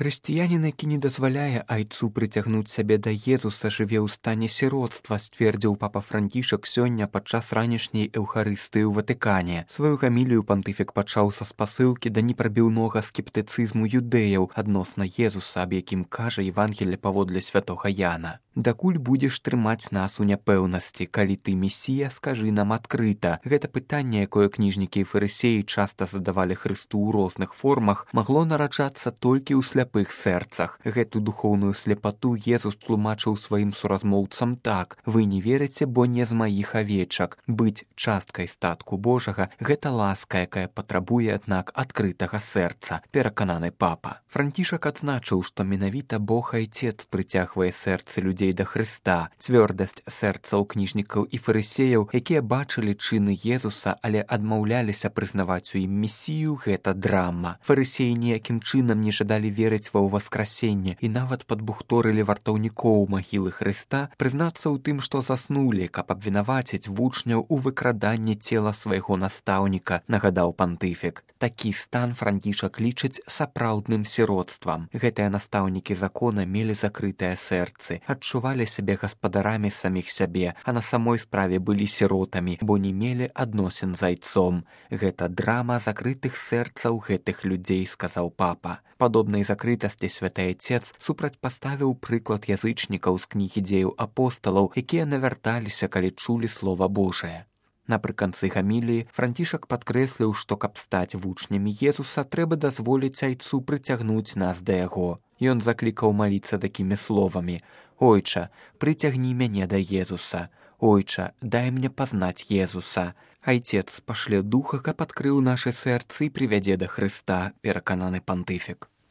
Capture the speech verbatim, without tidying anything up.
Хрысціянін, які не дазваляе айцу прыцягнуць сябе да Езуса, жыве ў стане сіроцтва, сцвердзіў папа Францішак сёння падчас ранішняй эўхарыстыі ў Ватыкане. Сваю гамілію пантыфік пачаў са спасылкі да непрабіўнога скептыцызму юдэяў адносна Езуса, аб якім кажа Евангелле паводле святога Яна. «Дакуль будзеш трымаць нас у няпэўнасці, калі ты месія, скажы нам адкрыта». Гэта пытанне, якое кніжнікі і фарысеі часта задавалі Хрысту ў розных формах, магло нараджацца толькі ў сляпых сэрцах. Гэту духоўную сляпату Езус тлумачыў сваім суразмоўцам так: «Вы не верыце, бо не з маіх авечак. Быць часткай статку Божага – гэта ласка, якая патрабуе, аднак, адкрытага сэрца», перакананы папа. Францішак адзначыў, што менавіта Бог Айцец прыцягвае сэрцы людзей да Хрыста. Цвёрдасць сэрцаў кніжнікаў і фарысеяў, якія бачылі чыны Езуса, але адмаўляліся прызнаваць у ім месію, гэта драма. Фарысеі ніякім чынам не жадалі верыць ва ўваскрасенне і нават падбухторылі вартаўнікоў магілы Хрыста прызнацца ў тым, што заснулі, каб абвінаваціць вучняў у выкраданні цела свайго настаўніка, нагадаў пантыфік. Такі стан Францішак лічыць сапраўдным сіроцтвам. Гэтыя настаўнікі закона мелі закрытыя сэрцы, адчувалі сябе гаспадарамі саміх сябе, а на самой справе былі сіротамі, бо не мелі адносін з айцом. Гэта драма закрытых сэрцаў гэтых людзей, сказаў папа. Падобнай закрытасці святы Айцец супрацьпаставіў прыклад язычнікаў з кнігі дзеяў апосталаў, якія навярталіся, калі чулі слова Божае. Напрыканцы гаміліі Францішак падкрэсліў, што каб стаць вучнямі Езуса, трэба дазволіць айцу прыцягнуць нас да яго. Ён заклікаў маліцца такімі словамі: «Ойча, прыцягні мяне да Езуса. Ойча, дай мне пазнаць Езуса». Айцец пашле духа, каб адкрыў нашы сэрцы і прывядзе да Хрыста, перакананы пантыфік.